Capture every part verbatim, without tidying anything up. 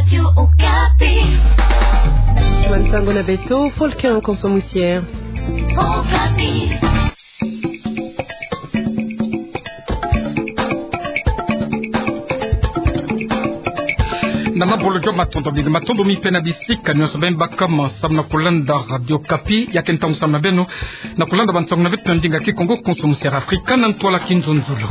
Radio Okapi. Bansango na beto, Volcan Konso Musiere. Okapi. Na mabolo jo matondo mingi, matondo mingi mpe na bisika nyonso beno baka mo samu na kulanda Radio Okapi, ya ke ntangu samu na beno na kulanda bansango na beto na ndinga Kikongo, Konso Musiere Afrika, na ntwala Kinzonzolo.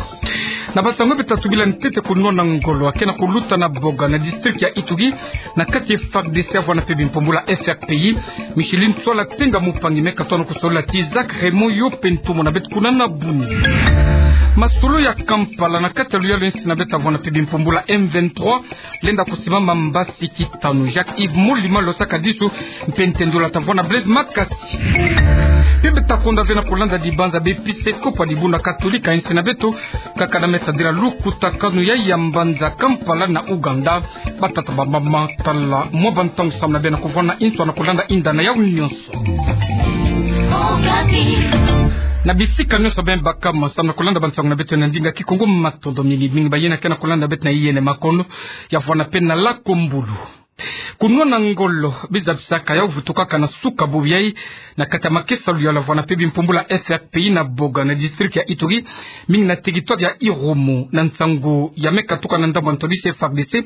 Na bansango beto tatubila ntete, kunwana ngolo ake na kuluta na Boga na district ya Ituri, na kati F A R D C avwanda mpe bimpumbulu ya F R P I. Micheline Ntsoila Tenga Mupangi me katono kusolola ti Isaac Raymond Yope, ntumwa na beto kuna na buni. Masolo ya Kampala, na kati ya luyalu ya insi na beto, avwanda mpe bimpumbulu ya M vingt-trois lenda kusimama mbasi kitanu. Jacques Yves Molima Losaka Disu mpe ntendula tavwanda Blaise Makasi. Mpe beto takonda ve na kulanda dibanza b'episkopo ya dibundu katolika ya insi na beto, kaka na me tadila lukutakanu ya ya mbanza Kampala na Ouganda. Batata, bamama, tala mwa bantangu samu na beno na kuvwanda inso na kulanda inda na yau nyonso. Na bisika nyonso beno baka mo samu na kulanda bansango na beto na ndinga Kikongo, matondo mingi mingi. Bayina ke na kulanda beto na yiyene makono, ya vwanda mpe na lakombulu. Kunwana ngolo bizabisaka yau vutukaka na suka bubu yai na kati ya makesa luyalu avwanda mpe bimpumbulu ya F R P I na Boga na district ya Ituri, mingi na territoire ya Irumu. Na nsangu ya me katuka na ndambu ya ntwadisi F A R D C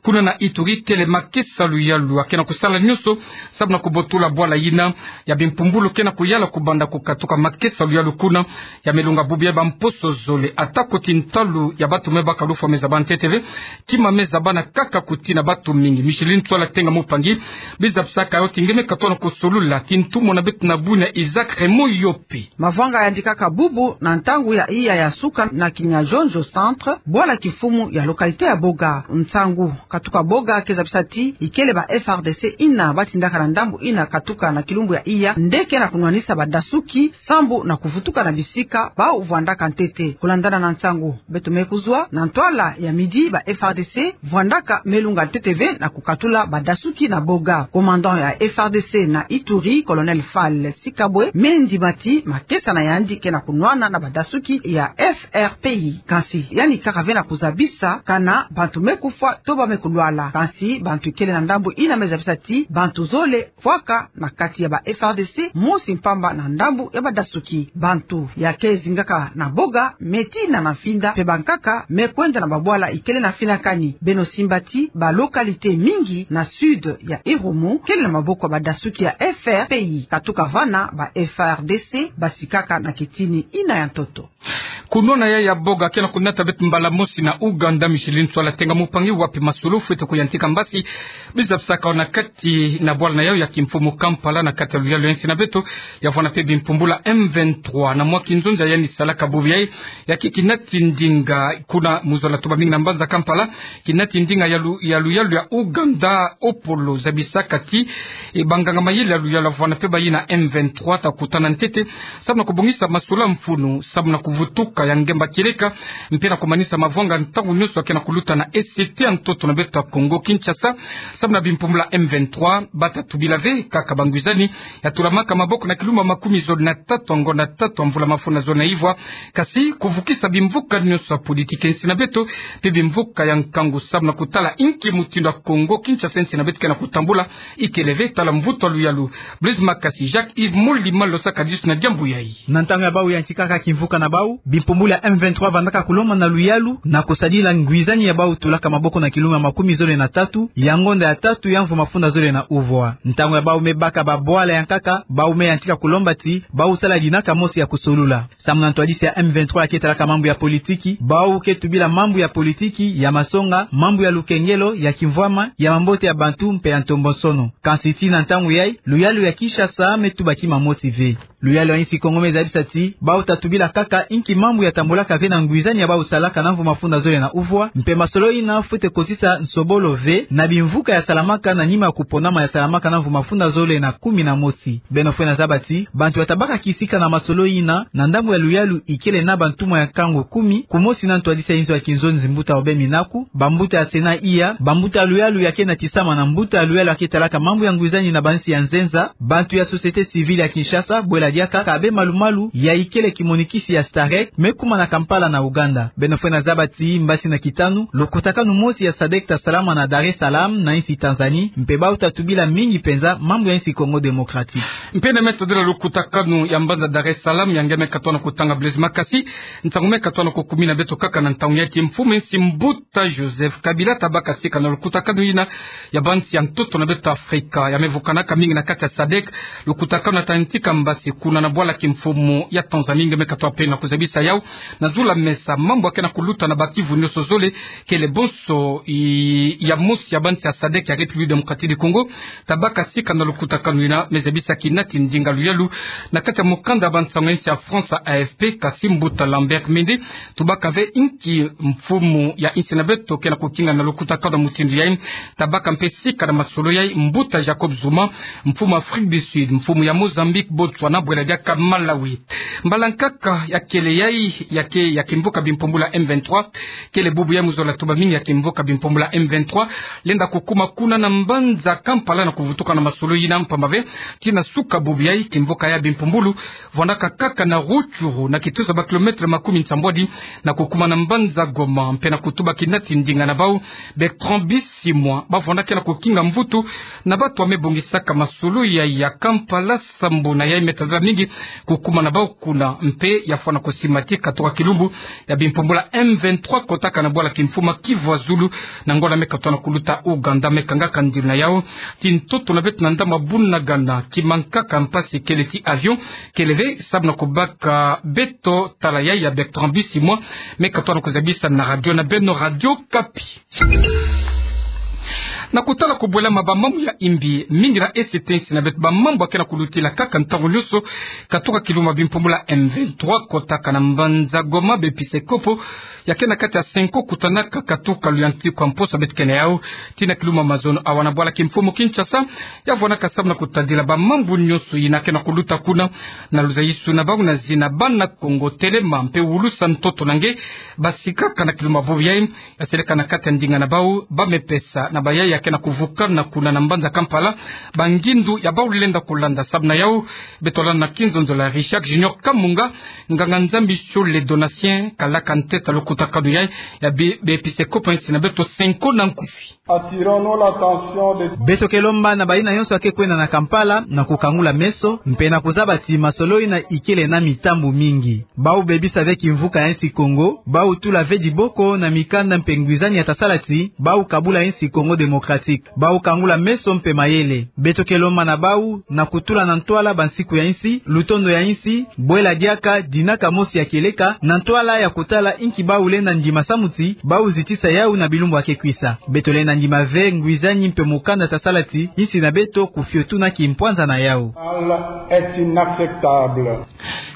kuna na Ituri, kele makesa luyalu ake na kusala nyonso samu na kubotula bwala yina ya bimpumbulu ke na kuyala kubanda kukatuka makesa luyalu kuna, ya me lunga bubu yai bamposo zole. Ata kuti ntalu ya bantu me baka lufwa me zaba ntete ve, kima me zaba na kaka kuti na bantu mingi. Micheline Ntsoila Tenga Mupangi bizabisaka yau ti nge me katono kusolola ti ntumwa na beto na buni, Isaac Raymond Yope. Mavanga yandikaka bubu na ntangu ya iya ya suka na Kinyazonzo Centre, bwala kimfumu ya localité ya Boga. Nsangu katuka Boga ke zabisa ti ikele ba F A R D C ina batindaka na ndambu ina katuka na kilumbu ya iya nde ke na kunwanisa badasuki sambu na kuvutuka na bisika bau vwandaka ntete. Kulandana na nsangu beto me kuzwa, na ntwala ya midi ba F A R D C vwandaka me lunga ntete ve na kukatula badasuki na Boga. Commandant ya F A R D C na Ituri, Colonel Fall Sikabwe, me ndima ti makesa na yandi ke na kunwana na badasuki ya F R P I. Kansi yandi kaka ve na kuzabisa kana bantu me kufwa to ba me kulwala. Kansi bantu ikele na ndambu ina me zabisa ti bantu zole fwaka na kati ya ba F A R D C, mosi mpamba na ndambu ya badasuki. Bantu ya ke zingaka na Boga me tina na mfinda, mpe bankaka me kwenda na babwala ikele na mfinakani. Beno simba ti ba localité mingi na sud ya Irumu kele na maboko ya badasuki ya F R P I. Katuka vana ba F A R D C basikaka na kitini ina ya ntoto. Kunwana yai ya Boga ke na kunata beto mbala mosi na Ouganda. Micheline Ntsoila Tenga Mupangi, wapi masolo fwete kuyantika mbasi bizabisaka yau na kati na bwala na yau ya kimfumu Kampala na kati ya luyalu ya insi na beto, ya vwanda mpe bimpumbulu ya M vingt-trois? Na mwa kinzonza yandi salaka bubu yai, ya ke kinati ndinga kuna mu zola tuba mingi na mbanza Kampala, kinati ndinga ya lu-, ya luyalu ya Ouganda, Opolo, zabisaka ti, e, banganga mayele ya luyalu avwanda mpe bayina M vingt-trois ta kutana ntete samu na kubongisa masolo ya mfunu samu na kuvutuka ya ngemba kieleka, mpe na kumanisa mavanga ntangu nyonso ake na kuluta na E C T ya ntoto na beto ya Kongo Kinshasa, samu na bimpumbulu ya M vingt-trois. Bata tubila ve kaka bangwizani ya tulamaka maboko na kilumbu ya makumi zole na tatu ya ngonda tatu ya mvula mafundi zole na ivwa, kasi kuvukisa bimvuka nyonso ya politiki ya insi na beto, mpe bimvuka ya nkangu samu na kutala inki mutindu ya Kongo Kinshasa, insi na beto ke na kutambula, ikele ve. Tala mvutu ya luyalu Blaise Makasi, Jacques Yves Molima Losaka Disu na diambu yai. Na ntangu ya bau yantikaka kimvuka na bau, bimpumbulu ya M vingt-trois vandaka kulomba na luyalu na kusadila ngwizani ya bau tulaka maboko na kilumbu ya makumi zole na tatu ya ngonda ya tatu ya mvu mafundi zole na uvwa. Ntangu ya bau me baka babwala ya nkaka, bau me yantika kulomba ti bau sala dinaka mosi ya kusolula. Samu na ntwadisi ya M vingt-trois ya ke talaka mambu ya politiki, bau ke tubila mambu ya politiki, ya masonga, mambu ya lukengelo, ya kimvwama, ya mambote ya bantu mpe ya ntombonsono. Kansi tii na ntangu yai, luyalu ya Kinshasa me tuba kima mosi ve. Luyalu ya insi Kongo me zabisa ti bau ta tubila kaka inki mambu ya tambolaka ve na ngwizani ya bau salaka na mvu mafundi zole na uvwa, mpe masolo ina fwete kotisa nsobolo ve na bimvuka ya salamaka na nima ya kuponama ya salamaka na mvu mafundi zole na kumi na mosi. Beno fwete zaba ti bantu ya tabaka kisika na masolo ina na ndambu ya luyalu ikele na bantumwa ya nkangu kumi, kumosi na ntwadisi ya inzo ya kinzonzi mbuta Aubin Minaku, bambuta ya Sénat iya, bambuta ya luyalu ya ke natisama na mbuta ya luyalu ya ke talaka mambu ya ngwizani na bansi ya nzenza, bantu ya société civile ya Kinshasa, bwela Diaka ka bê malu-malu ya ikele kimonikisi ya STAREC me kuma na Kampala na Ouganda. Beno fwene zaba ti mbasi na kitanu, lukutakanu mosi ya SADC tasalama na Dar es Salaam na insi Tanzanie, mpe bawu tatubila mingi penza mambu ya insi Congo Démocratique. Mpe na me tadila lukutakanu ya mbanza Dar es Salaam, ya nge me katona kutanga Blaise Makasi, ntangu me katona kukumina beto kaka na ntangu ya kimfumu, insi mbuta Joseph Kabila tabaka sika na lukutakanu yina ya bansi ya ntoto na beto Afrika. Ya me vukanaka mingi na kati ya SADC, lukutakanu ya ta ntika mbasi kuna na bwala kimfumu ya Tanzanie, nge me katona pele na kuzabisa yawu na zulu ya mesa mambu ya ke na kuluta na ba kivu nioso zole, kele bonso i-, ya mosi ya bansi ya SADC ya République Démocratique du Congo, tabaka sika na lukutakanu yina, me zabisa kina ti ndinga luyalu na kati ya mukanda ya bansangu ya insi ya France A F P, kasi mbuta Lambert Mende tubaka ve inki mfumu ya insi na beto ke na kukinga na lukutakanu ya mutindu yayi. Tabaka mpe sika na masolo yayi mbuta Jacob Zuma, mfumu Afrique du Sud, mfumu ya Mozambique, Botswana, bwela diaka Malawi. Mbala nkaka ya kele yayi, ya ke, ya kimvuka bimpumbulu ya M vingt-trois, kele bubu ya mu zola tuba mingi ya kimvuka bimpumbulu ya M vingt-trois lenda kukuma kuna na mbanza Kampala na kuvutuka na masolo yina, mpamba ve ti na suka bubu yayi kimvuka ya bimpumbulu vwandaka kaka na Rutshuru, na kitusa ba kilomètre makumi nsambwadi na kukuma na mbanza Goma, mpe na kutuba kina ti ndinga na bawu Bertrand Bisimwa, ba vwandaka na kukinga mvutu na bantu ya me bongisaka masolo ya, ya Kampala, sambu na yayi me tadila mingi kukuma na bawu kuna, mpe ya fwana kusimati katoka kilumbu ya bimpumbulu ya M vingt-trois kotaka na bwala kimfumu ya Kivu ya zulu, na ngonda me katona kuluta Ouganda. Me kangaka ndiri na yawu ti ntoto na beto na ndambu ya Bunagana, kima nkaka mpasi kele ti avion kele ve, sabu na kubaka beto tala yayi ya Bertrand Bisimwa, me katona kuzabisa na radio na beno, Radio Okapi. Na kutala kubwelama ba mambu ya imbi, mingi na ese ti insi na beto ba mambu ya ke na kulutila kaka ntangu nioso. Katoka kilumbu ya bimpumbulu ya M vingt-trois kotaka na mbanza Goma, b'episkopo ya ke na kati ya Cenco kutanaka katoka luyantiku ya mposo beto ke na yawu ti na kilumbu ya mazono awa na bwala kimfumu Kinshasa. Ya vwandaka samu na kutadila ba mambu nioso yina ke na kuluta kuna, na luzayisu na bawu na zina Bana Kongo. Telema mpe wulusa ntoto na nge, basi kaka na kilumbu ya bubu yayi, ya seleka na kati ya ndinga na bawu ba me pesa na bayayi ya ke na kuvukana kuna na mbanza Kampala ba ngindu ya bawu lenda kulanda. Samu na yawu, beto landa na kinzonzolo ya Richard Junior Kamunga, nganga-Nzambi Shole Donatien kalaka ntete ya lukutakanu yayi ya bi-, b'episkopo ya insi na beto Cenco na nkufi. Attirons-nous l'attention de... Beto ke lomba na bayina yonso ya ke kwenda na Kampala na kukangula meso, mpe na kuzaba ti masolo yina ikele na mitambu mingi. Bawu bebisa ve kimvuka ya insi Kongo, bawu tula ve diboko na mikanda mpe ngwizani ya tasala ti bawu kabula insi Congo Démocratique. Bawu kangula meso mpe mayele. Beto ke lomba na bawu na kutula na ntwala bansiku ya insi, lutondo ya insi, bwela diaka dinaka mosi ya kieleka, na ntwala ya kutala inki bawu lenda ndima samu ti bawu zitisa yawu na bilumbu ya ke kwisa. Beto lenda ndima ve ngwizani mpe mukanda tasala ti insi na beto kufiotu na kimpwanza na yawu. Est inacceptable.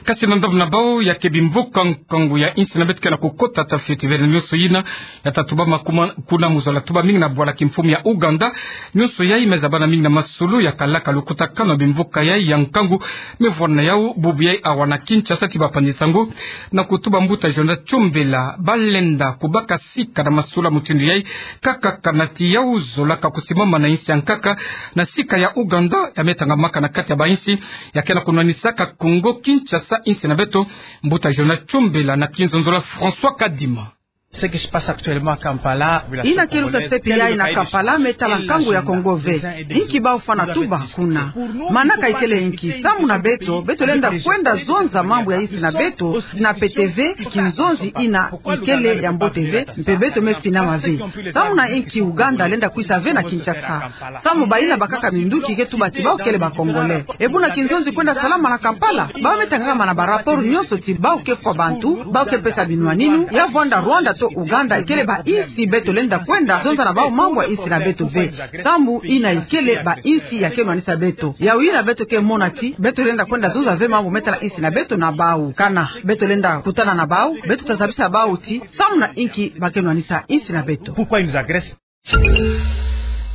Kasi na ndambu na bawu ya ke bimvuka nkangu ya insi na beto ke na kukota, tafioti ve nionso yina ya tatubama kuma kuna, mu zola tuba mingi na bwala kimfumu ya Ouganda. Nionso yayi me zabana mingi na masolo ya kalaka lukutakanu ya bimvuka yayi ya nkangu. Me vwanda na yawu bubu yayi awa na Kinshasa ti bapanzi-nsangu na kutuba mbuta Jonas Chombela ba lenda kubaka sika na masolo ya mutindu yayi, kaka kana ti yawu zola ka kusimama na insi ya nkaka, na sika ya Ouganda ya me tangamaka na kati ya ba insi ya ke na kunwanisaka Congo Kinshasa, insi na beto. Mbuta Jonas Chombela na kinzonzolo ya François Kadima. Ce qui se passe actuellement à Kampala, yina ke luta se pi yayi na Kampala me tala nkangu ya Congo ve. Inki bawu fwana tuba kuna? Manaka ikele inki? Samu na beto, beto lenda kwenda zonza mambu ya insi na beto, na pete ve, kinzonzi yina ikele ya mbote ve, mpe beto me finama ve. Samu na inki Ouganda lenda kwisa ve na Kinshasa? Samu bayina bakaka minduki ke tuba ti bawu kele ba Congolais. E buna kinzonzi kwenda salama na Kampala? Bawu me tangama na ba rapport nionso ti bawu ke fwa bantu, bawu ke pesa binwaninu. Ya vwanda Rwanda to Ouganda ikele ba insi beto lenda kwenda zonza na bawu mambu ya insi na beto ve. Samu yina ikele ba insi ya ke nwanisa beto. Yawu yina beto ke mona ti beto lenda kwenda zonza ve mambu me tala insi na beto na bawu. Kana beto lenda kutana na bawu, beto tazabisa bawu ti samu na inki ba ke nwanisa insi na beto. Pourquoi ils nous agressent?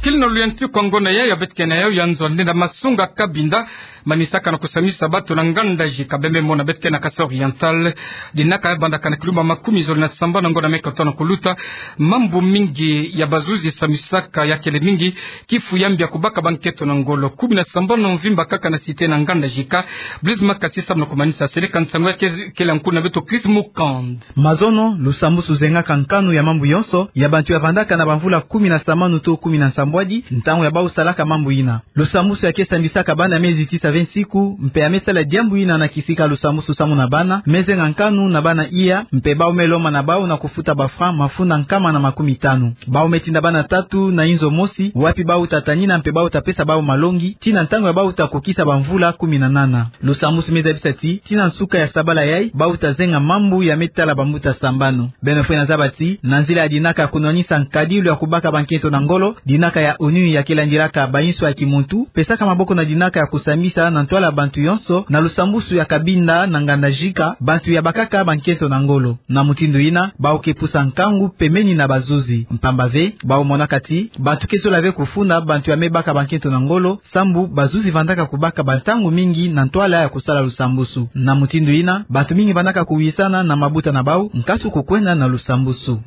Kili na luyanti kwa ngonda ya, ya beto kena yo, ya nzo nde na masunga kabinda, manisaka na kusambisa bato na nganda jika bembe mona beto kena Kasaï Oriental. Dinaka ya bandaka na kilumba makumi zole na sambanu na ngonda meke tona kuluta. Mambu mingi ya bazuzi sambisaka ya kele mingi, kifu ya mbi ya kubaka bankento na ngolo. Kumi na sambanu mvimba kaka na site na nganda jika. Blaise Makasi samu na kumanisa, seleka nsangu ya ke-, kele nkuna beto Chris Mukand. Mazono, lusambusu zengaka nkanu ya mambu yonso, ya bantu ya vandaka na bamvula kumi na sambanu to kumi na nsambwadi, ntangu ya bau salaka mambu yina. Lusambusu ya ke sambisaka bana me zitisa ve nsiku, mpe ya me sala diambu yina na kisika lusambusu samu na bana, me zenga nkanu na bana iya, mpe bau me lomba na bau na kufuta ba francs mafunda nkama na makumi tanu. Bau me tinda bana tatu na inzo mosi, wapi bau ta tanina mpe bau ta pesa bau malongi, tii na ntangu ya bau ta kukisa bamvula kumi na nana. Lusambusu me zabisa ti, tii na nsuka ya sabala yai, bau ta zenga mambu ya me tala bambuta sambanu. Beno fwena zaba ti, na nzila ya dinaka ya kunwanisa nkadilu ya kubaka bankento na ngolo, dinaka ya ONU ya ke landilaka bainso ya kimuntu, pesaka maboko na dinaka ya kusambisa na ntwala bantu yonso, na lusambusu ya kabinda na nganda jika, bantu ya bakaka bankento na ngolo. Na mutindu yina, bau ke pusa nkangu pembeni na bazuzi. Mpamba ve, bau monaka ti, bantu ke zola ve kufunda bantu ya me baka bankento na ngolo, sambu bazuzi vandaka kubaka bantangu mingi na ntwala ya kusala lusambusu. Na mutindu yina, bantu mingi vandaka kuwisana na mabuta na bau, nkatu kukwenda na lusambusu.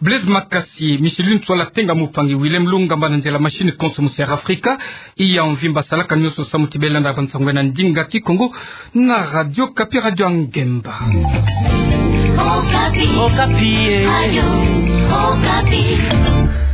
Blaise Makasi. Michel Lune Tswala Tenga Mupangi Willem Lungamba na nzela machine contre Moussa Africa. Iya mvimba salaka nioso samu ti beno landa bansangu na ndinga Kikongo na Radio Okapi, Radio ya Ngemba. Okapi. Okapi, eh. Radio Okapi.